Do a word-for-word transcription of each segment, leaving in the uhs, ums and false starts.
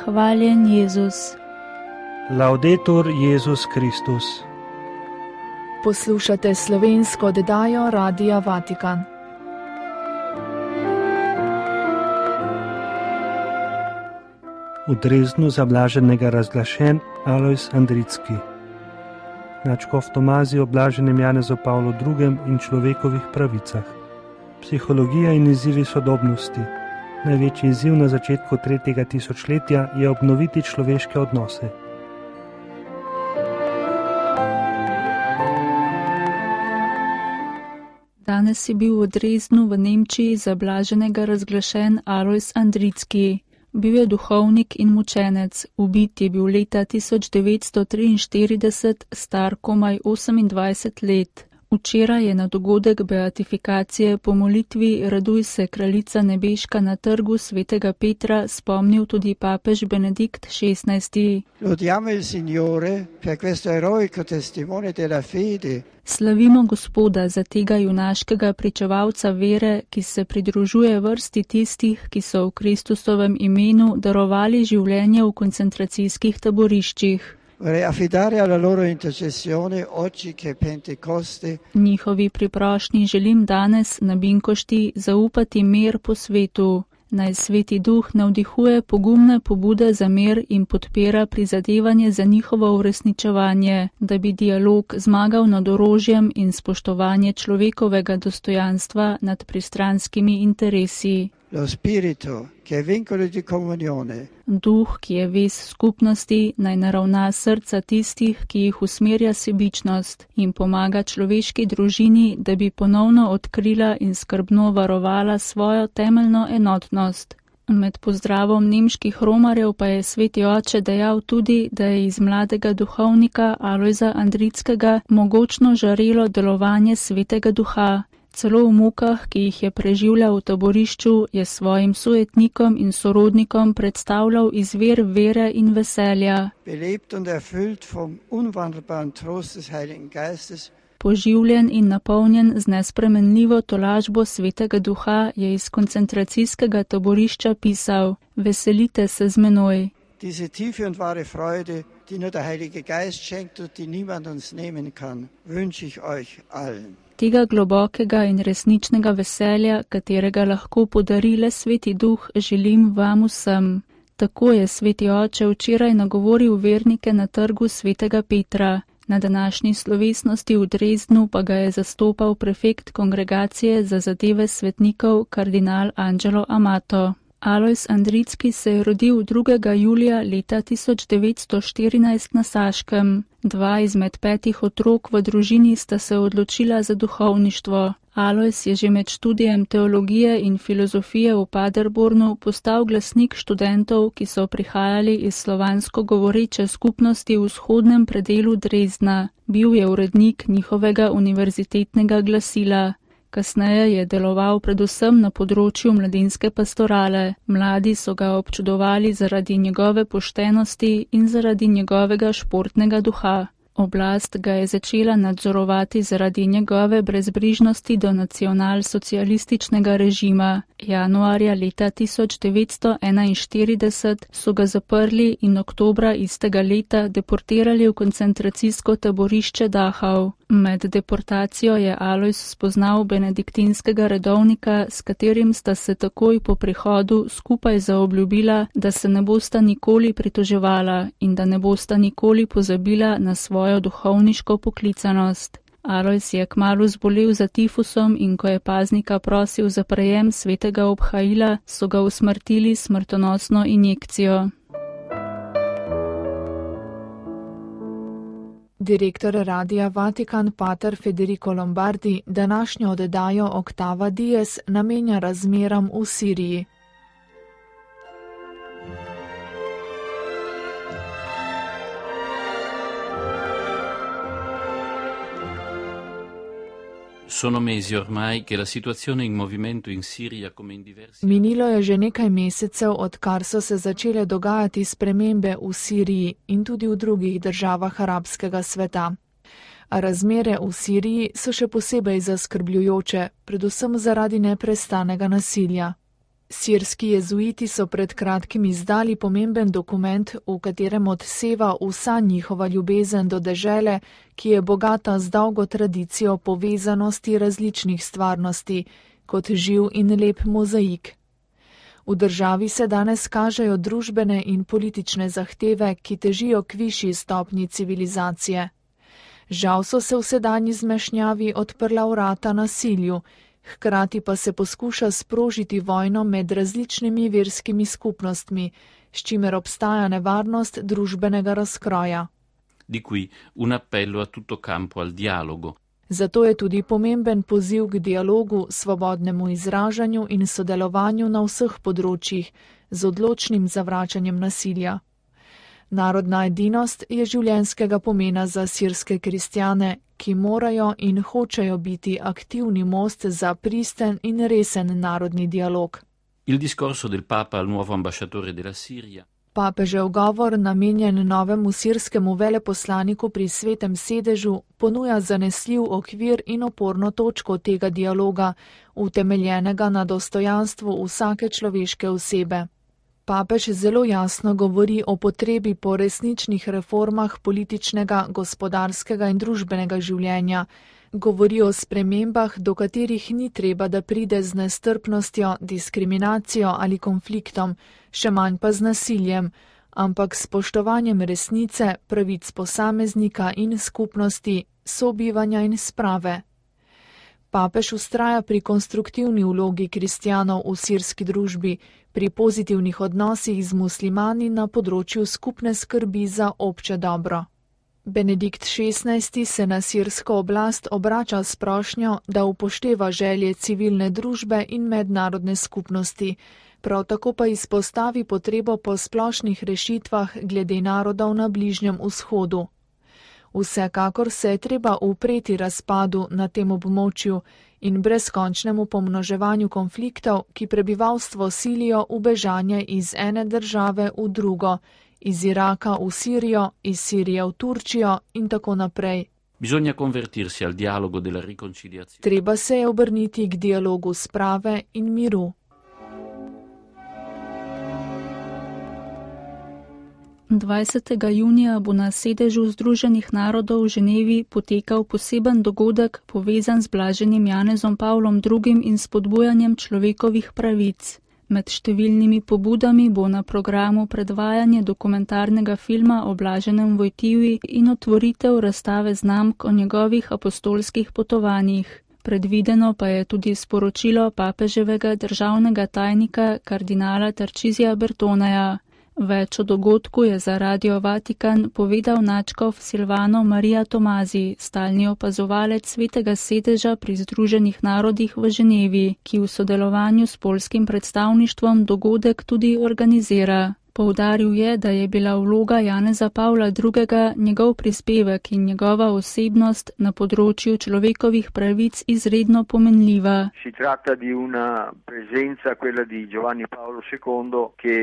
Hvaljen Jezus. Laudetur Jezus Kristus. Poslušate slovensko oddajo Radia Vatikan. V Dresdnu za blaženega razglašen Alojz Andrický. Nadškof Tomazij o blaženem Janezu Pavlu drugem in človekovih pravicah. Psihologija in izzivi sodobnosti. Največji izziv na začetku tretjega tisočletja je obnoviti človeške odnose. Danes je bil v Dresdnu v Nemčiji za blaženega razglašen Alojz Andrický. Bil je duhovnik in mučenec, ubit je bil leta tisoč devetsto triinštirideset, star komaj osemindvajset let. Včeraj je na dogodek beatifikacije po molitvi Raduj se, kraljica nebeška na trgu svetega Petra spomnil tudi papež Benedikt šestnajsti. Lodiamo il Signore per questo eroico testimone della fede. Slavimo Gospoda za tega junaškega pričevalca vere, ki se pridružuje vrsti tistih, ki so v Kristusovem imenu darovali življenje v koncentracijskih taboriščih. Njihovi priprošnji želim danes na Binkošti zaupati mir po svetu. Naj Sveti Duh navdihuje pogumne pobude za mir in podpira prizadevanje za njihovo uresničevanje, da bi dialog zmagal nad orožjem in spoštovanje človekovega dostojanstva nad pristranskimi interesi. Lo spirito, che è vincolo di comunione. Duh, ki je vez skupnosti, naj naravna srca tistih, ki jih usmerja sebičnost in pomaga človeški družini, da bi ponovno odkrila in skrbno varovala svojo temeljno enotnost. Med pozdravom nemških romarjev pa je sveti oče dejal tudi, da je iz mladega duhovnika Alojza Andrickega mogočno žarelo delovanje svetega duha. Celo v mukah, ki jih je preživljal v taborišču, je svojim sojetnikom in sorodnikom predstavljal izvir vere in veselja. Poživljen in napolnjen z nespremenljivo tolažbo svetega duha je iz koncentracijskega taborišča pisal: Veselite se z menoj. Diese tiefe und wahre Freude, die nur der Heilige Geist schenkt und die niemand uns nehmen kann, wünsche ich euch allen. Tega globokega in resničnega veselja, katerega lahko podari le Sveti Duh, želim vam vsem. Tako je sveti oče včeraj nagovoril vernike na trgu svetega Petra. Na današnji slovesnosti v Dresdnu pa ga je zastopal prefekt kongregacije za zadeve svetnikov kardinal Angelo Amato. Alojz Andrický se je rodil drugega julija leta tisoč devetsto štirinajst na Saškem. Dva izmed petih otrok v družini sta se odločila za duhovništvo. Alojz je že med študijem teologije in filozofije v Paderbornu postal glasnik študentov, ki so prihajali iz slovansko govoreče skupnosti v vzhodnem predelu Dresdna. Bil je urednik njihovega univerzitetnega glasila. Kasneje je deloval predvsem na področju mladinske pastorale. Mladi so ga občudovali zaradi njegove poštenosti in zaradi njegovega športnega duha. Oblast ga je začela nadzorovati zaradi njegove brezbrižnosti do nacionalsocialističnega režima. Januarja leta tisoč devetsto enainštirideset so ga zaprli in oktobra istega leta deportirali v koncentracijsko taborišče Dachau. Med deportacijo je Alojz spoznal benediktinskega redovnika, s katerim sta se takoj po prihodu skupaj zaobljubila, da se ne bosta nikoli pritoževala in da ne bosta nikoli pozabila na svojo duhovniško poklicanost. Alojz je kmalu zbolel za tifusom in ko je paznika prosil za prejem svetega obhajila, so ga usmrtili smrtonosno injekcijo. Direktor Radia Vatikan pater Federico Lombardi današnjo oddajo Octava Dies namenja razmeram v Siriji. Sono mesi ormai che la situazione in movimento in Siria come in diversi... Minilo je že nekaj mesecev, odkar so se začele dogajati spremembe v Siriji in tudi v drugih državah arabskega sveta. A razmere v Siriji so še posebej zaskrbljujoče, predvsem zaradi neprestanega nasilja. Sirski jezuiti so pred kratkim izdali pomemben dokument, v katerem odseva vsa njihova ljubezen do dežele, ki je bogata z dolgo tradicijo povezanosti različnih stvarnosti, kot živ in lep mozaik. V državi se danes kažejo družbene in politične zahteve, ki težijo k višji stopnji civilizacije. Žal so se v sedanji zmešnjavi odprla vrata nasilju, hkrati pa se poskuša sprožiti vojno med različnimi verskimi skupnostmi, s čimer obstaja nevarnost družbenega razkroja. Di qui un appello a tutto campo al dialogo. Zato je tudi pomemben poziv k dialogu, svobodnemu izražanju in sodelovanju na vseh področjih, z odločnim zavračanjem nasilja. Narodna edinost je življenjskega pomena za sirske kristjane, ki morajo in hočejo biti aktivni most za pristen in resen narodni dialog. Il discorso del Papa al nuovo ambasciatore della Siria. Papežev govor, namenjen novemu sirskemu veleposlaniku pri Svetem sedežu, ponuja zanesljiv okvir in oporno točko tega dialoga, utemeljenega na dostojanstvu vsake človeške osebe. Papež zelo jasno govori o potrebi po resničnih reformah političnega, gospodarskega in družbenega življenja, govori o spremembah, do katerih ni treba, da pride z nestrpnostjo, diskriminacijo ali konfliktom, še manj pa z nasiljem, ampak s spoštovanjem resnice, pravic posameznika in skupnosti, sobivanja in sprave. Papež vztraja pri konstruktivni vlogi kristjanov v sirski družbi, pri pozitivnih odnosih z muslimani na področju skupne skrbi za obče dobro. Benedikt šestnajsti se na sirsko oblast obrača s prošnjo, da upošteva želje civilne družbe in mednarodne skupnosti, prav tako pa izpostavi potrebo po splošnih rešitvah glede narodov na Bližnjem vzhodu. Vsekakor se je treba upreti razpadu na tem območju in brezkončnemu pomnoževanju konfliktov, ki prebivalstvo silijo v bežanje iz ene države v drugo, iz Iraka v Sirijo, iz Sirije v Turčijo in tako naprej. Bisogna convertirsi al dialogo della riconciliazione. Treba se je obrniti k dialogu sprave in miru. dvajsetega junija bo na sedežu Združenih narodov v Ženevi potekal poseben dogodek, povezan z blaženim Janezom Pavlom drugim in spodbujanjem človekovih pravic. Med številnimi pobudami bo na programu predvajanje dokumentarnega filma o blaženem Vojtivi in otvoritev razstave znamk o njegovih apostolskih potovanjih. Predvideno pa je tudi sporočilo papeževega državnega tajnika kardinala Tarcisija Bertoneja. Več o dogodku je za Radio Vatikan povedal nadškof Silvano Maria Tomazi, stalni opazovalec Svetega sedeža pri Združenih narodih v Ženevi, ki v sodelovanju s poljskim predstavništvom dogodek tudi organizira. Poudaril je, da je bila vloga Janeza Pavla drugega, njegov prispevek in njegova osebnost na področju človekovih pravic izredno pomenljiva. Si tratta di una presenza, quella di Giovanni Paolo secondo, che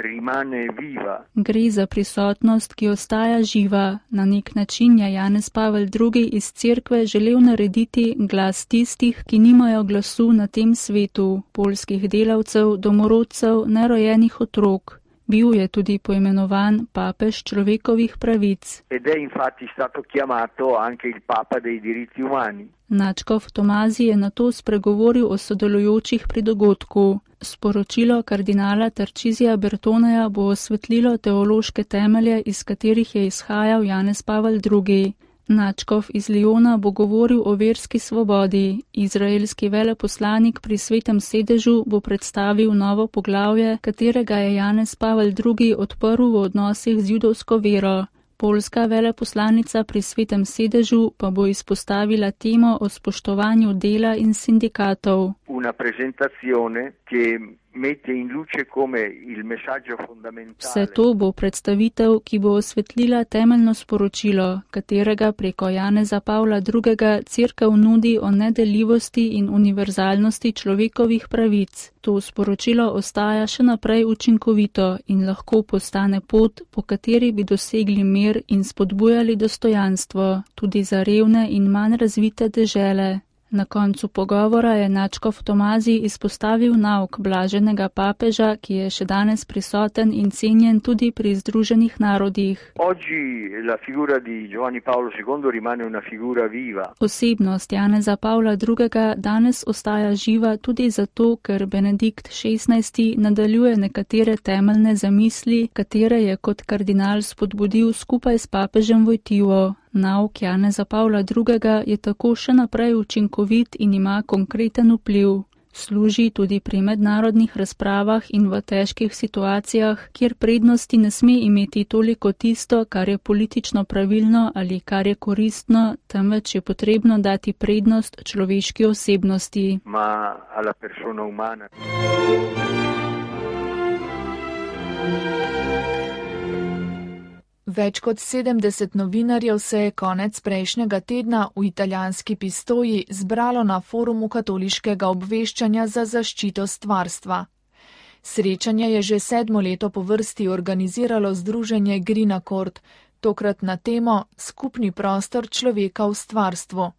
rimane viva. Gre za prisotnost, ki ostaja živa. Na nek način je Janez Pavel drugi iz cerkve želel narediti glas tistih, ki nimajo glasu na tem svetu, poljskih delavcev, domorodcev, nerojenih otrok. Bil je tudi poimenovan papež človekovih pravic. Ed è infatti stato chiamato anche il Papa dei diritti umani. Nadškof Tomazi je nato spregovoril o sodelujočih pri dogodku. Sporočilo kardinala Tarcisija Bertoneja bo osvetlilo teološke temelje, iz katerih je izhajal Janez Pavel drugi. Nadškof iz Liona bo govoril o verski svobodi. Izraelski veleposlanik pri Svetem sedežu bo predstavil novo poglavje, katerega je Janez Pavel drugi odprl v odnosih z judovsko vero. Poljska veleposlanica pri Svetem sedežu pa bo izpostavila temo o spoštovanju dela in sindikatov. Una presentazione che mette in luce come il messaggio fondamentale. Vse to bo predstavitev, ki bo osvetlila temeljno sporočilo, katerega preko Janeza Pavla drugega cerkev nudi o nedeljivosti in univerzalnosti človekovih pravic. To sporočilo ostaja še naprej učinkovito in lahko postane pot, po kateri bi dosegli mir in spodbujali dostojanstvo, tudi za revne in manj razvite dežele. Na koncu pogovora je nadškof Tomazij izpostavil nauk blaženega papeža, ki je še danes prisoten in cenjen tudi pri Združenih narodih. Osebnost Janeza Pavla drugega danes ostaja živa tudi zato, ker Benedikt šestnajsti nadaljuje nekatere temeljne zamisli, katere je kot kardinal spodbudil skupaj s papežem Vojtivo. Nauk Janeza Pavla drugega je tako še naprej učinkovit in ima konkreten vpliv. Služi tudi pri mednarodnih razpravah in v težkih situacijah, kjer prednosti ne sme imeti toliko tisto, kar je politično pravilno ali kar je koristno, temveč je potrebno dati prednost človeški osebnosti. Ma alla persona umana. Več kot sedemdeset novinarjev se je konec prejšnjega tedna v italijanski Pistoji zbralo na forumu katoliškega obveščanja za zaščito stvarstva. Srečanje je že sedmo leto po vrsti organiziralo združenje Green Accord, tokrat na temo Skupni prostor človeka v stvarstvu.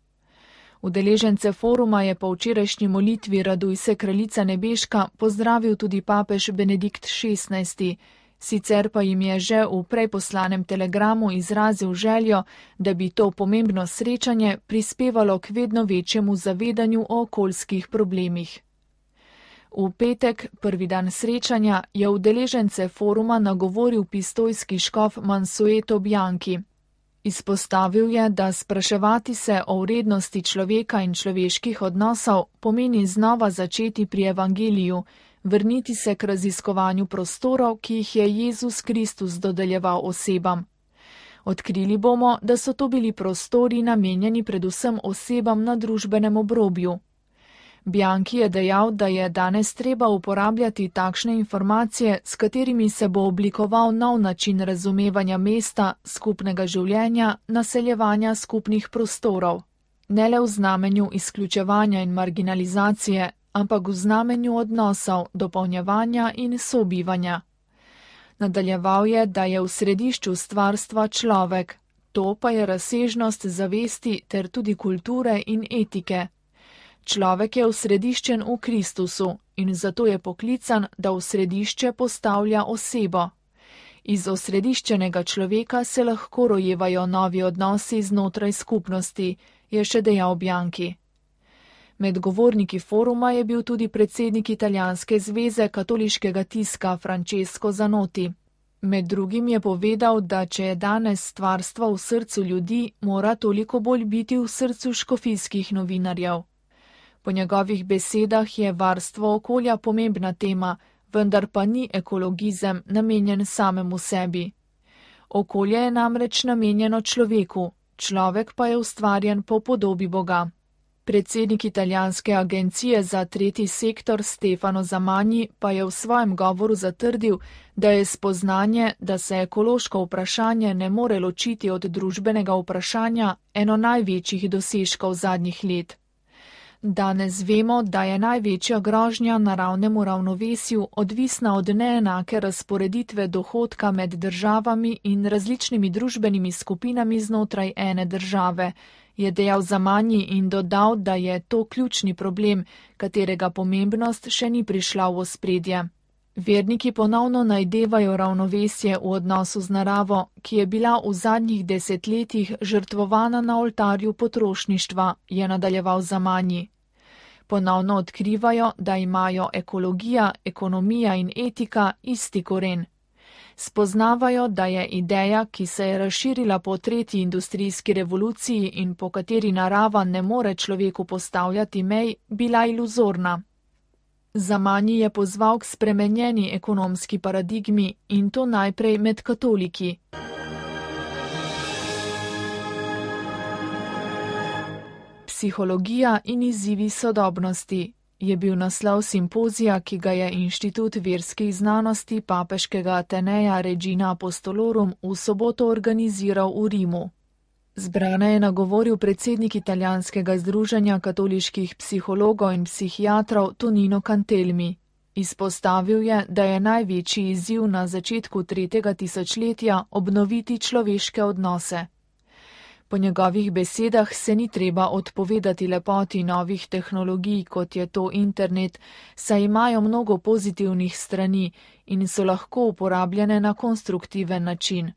Udeležence foruma je po včerajšnji molitvi Raduj se kraljica nebeška pozdravil tudi papež Benedikt šestnajsti, sicer pa jim je že v prej poslanem telegramu izrazil željo, da bi to pomembno srečanje prispevalo k vedno večjemu zavedanju o okoljskih problemih. V petek, prvi dan srečanja, je udeležence foruma nagovoril pistojski škof Mansueto Bianchi. Izpostavil je, da spraševati se o vrednosti človeka in človeških odnosov pomeni znova začeti pri evangeliju, vrniti se k raziskovanju prostorov, ki jih je Jezus Kristus dodeljeval osebam. Odkrili bomo, da so to bili prostori namenjeni predvsem osebam na družbenem obrobju. Bianchi je dejal, da je danes treba uporabljati takšne informacije, s katerimi se bo oblikoval nov način razumevanja mesta, skupnega življenja, naseljevanja skupnih prostorov. Ne le v znamenju izključevanja in marginalizacije, ampak v znamenju odnosov, dopolnjevanja in sobivanja. Nadaljeval je, da je v središču stvarstva človek, to pa je razsežnost zavesti ter tudi kulture in etike. Človek je osrediščen v Kristusu in zato je poklican, da v središče postavlja osebo. Iz osrediščenega človeka se lahko rojevajo novi odnosi znotraj skupnosti, je še dejal Bianchi. Med govorniki foruma je bil tudi predsednik Italijanske zveze katoliškega tiska Francesco Zanotti. Med drugim je povedal, da če je danes stvarstvo v srcu ljudi, mora toliko bolj biti v srcu škofijskih novinarjev. Po njegovih besedah je varstvo okolja pomembna tema, vendar pa ni ekologizem namenjen samemu sebi. Okolje je namreč namenjeno človeku, človek pa je ustvarjen po podobi Boga. Predsednik italijanske agencije za tretji sektor Stefano Zamanji pa je v svojem govoru zatrdil, da je spoznanje, da se ekološko vprašanje ne more ločiti od družbenega vprašanja, eno največjih dosežkov zadnjih let. Danes vemo, da je največja grožnja naravnemu ravnovesju odvisna od neenake razporeditve dohodka med državami in različnimi družbenimi skupinami znotraj ene države, je dejal Zamanji in dodal, da je to ključni problem, katerega pomembnost še ni prišla v ospredje. Verniki ponovno najdevajo ravnovesje v odnosu z naravo, ki je bila v zadnjih desetletjih žrtvovana na oltarju potrošništva, je nadaljeval Zamanji. Ponovno odkrivajo, da imajo ekologija, ekonomija in etika isti koren. Spoznavajo, da je ideja, ki se je razširila po tretji industrijski revoluciji in po kateri narava ne more človeku postavljati mej, bila iluzorna. Zamanji je pozval k spremenjeni ekonomski paradigmi in to najprej med katoliki. Psihologija in izzivi sodobnosti je bil naslov simpozija, ki ga je Inštitut verskih znanosti papeškega Ateneja Regina Apostolorum v soboto organiziral v Rimu. Zbrane je nagovoril predsednik italijanskega združenja katoliških psihologov in psihiatrov Tonino Cantelmi. Izpostavil je, da je največji izziv na začetku tretjega tisočletja obnoviti človeške odnose. Po njegovih besedah se ni treba odpovedati lepoti novih tehnologij, kot je to internet, saj imajo mnogo pozitivnih strani in so lahko uporabljene na konstruktiven način.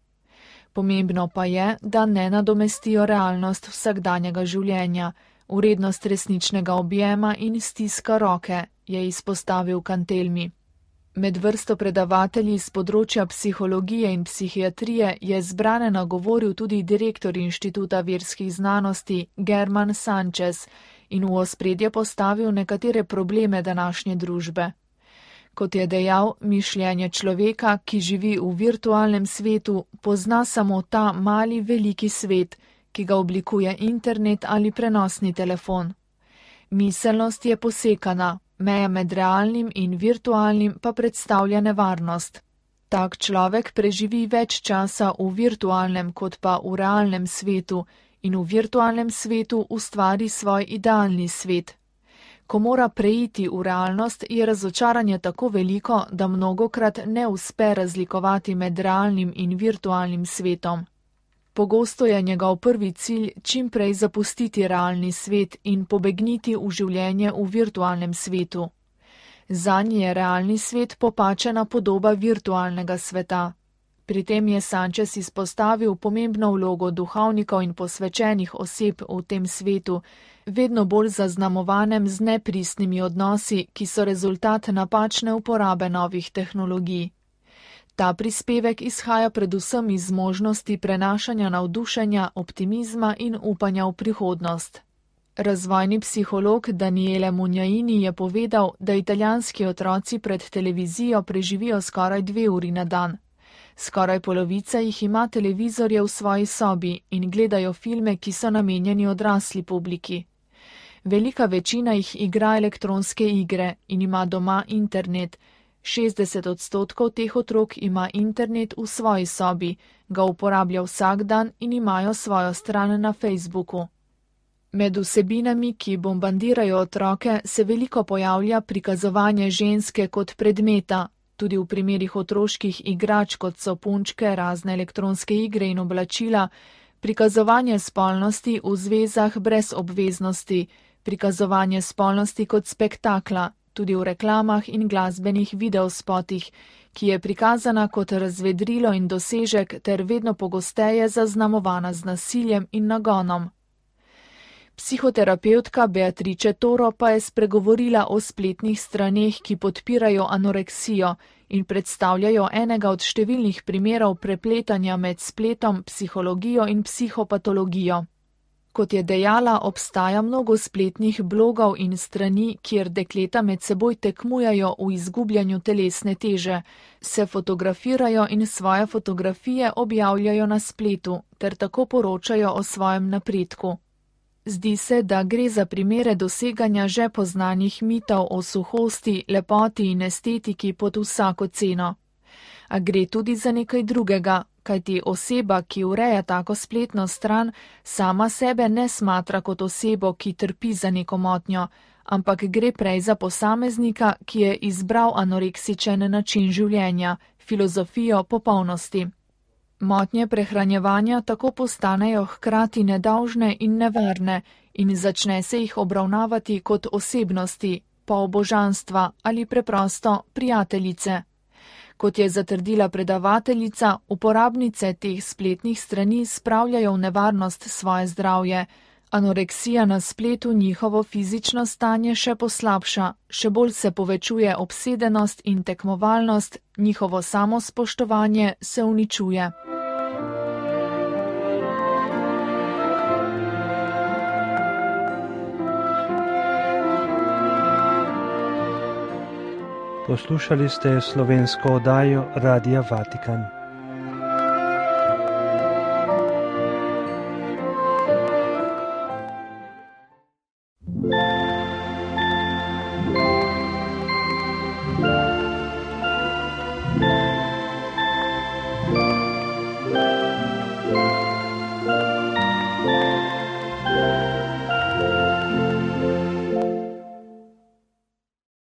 Pomembno pa je, da ne nadomestijo realnost vsakdanjega življenja, vrednost resničnega objema in stiska roke, je izpostavil Cantelmi. Med vrsto predavatelji z področja psihologije in psihiatrije je zbrane nagovoril tudi direktor Inštituta verskih znanosti German Sanchez in v ospredje postavil nekatere probleme današnje družbe. Kot je dejal, mišljenje človeka, ki živi v virtualnem svetu, pozna samo ta mali veliki svet, ki ga oblikuje internet ali prenosni telefon. Miselnost je posekana. Meja med realnim in virtualnim pa predstavlja nevarnost. Tak človek preživi več časa v virtualnem kot pa v realnem svetu in v virtualnem svetu ustvari svoj idealni svet. Ko mora preiti v realnost, je razočaranje tako veliko, da mnogokrat ne uspe razlikovati med realnim in virtualnim svetom. Pogosto je njegov prvi cilj čim prej zapustiti realni svet in pobegniti v življenje v virtualnem svetu. Zanj je realni svet popačena podoba virtualnega sveta. Pri tem je Sanchez izpostavil pomembno vlogo duhovnikov in posvečenih oseb v tem svetu, vedno bolj zaznamovanem z nepristnimi odnosi, ki so rezultat napačne uporabe novih tehnologij. Ta prispevek izhaja predvsem iz možnosti prenašanja navdušenja, optimizma in upanja v prihodnost. Razvojni psiholog Daniele Munjaini je povedal, da italijanski otroci pred televizijo preživijo skoraj dve uri na dan. Skoraj polovica jih ima televizorje v svoji sobi in gledajo filme, ki so namenjeni odrasli publiki. Velika večina jih igra elektronske igre in ima doma internet. šestdeset odstotkov teh otrok ima internet v svoji sobi, ga uporablja vsak dan in imajo svojo stran na Facebooku. Med vsebinami, ki bombardirajo otroke, se veliko pojavlja prikazovanje ženske kot predmeta, tudi v primerih otroških igrač, kot so punčke, razne elektronske igre in oblačila, prikazovanje spolnosti v zvezah brez obveznosti, prikazovanje spolnosti kot spektakla, tudi v reklamah in glasbenih videospotih, ki je prikazana kot razvedrilo in dosežek ter vedno pogosteje zaznamovana z nasiljem in nagonom. Psihoterapevtka Beatrice Toro pa je spregovorila o spletnih straneh, ki podpirajo anoreksijo in predstavljajo enega od številnih primerov prepletanja med spletom, psihologijo in psihopatologijo. Kot je dejala, obstaja mnogo spletnih blogov in strani, kjer dekleta med seboj tekmujajo v izgubljanju telesne teže, se fotografirajo in svoje fotografije objavljajo na spletu ter tako poročajo o svojem napredku. Zdi se, da gre za primere doseganja že poznanih mitov o suhosti, lepoti in estetiki pod vsako ceno. A gre tudi za nekaj drugega, kajti oseba, ki ureja tako spletno stran, sama sebe ne smatra kot osebo, ki trpi za neko motnjo, ampak gre prej za posameznika, ki je izbral anoreksičen način življenja, filozofijo popolnosti. Motnje prehranjevanja tako postanejo hkrati nedolžne in nevarne in začne se jih obravnavati kot osebnosti, polobožanstva ali preprosto prijateljice. Kot je zatrdila predavateljica, uporabnice teh spletnih strani spravljajo v nevarnost svoje zdravje. Anoreksija na spletu njihovo fizično stanje še poslabša, še bolj se povečuje obsedenost in tekmovalnost, njihovo samospoštovanje se uničuje. Poslušali ste slovensko oddajo Radia Vatikan.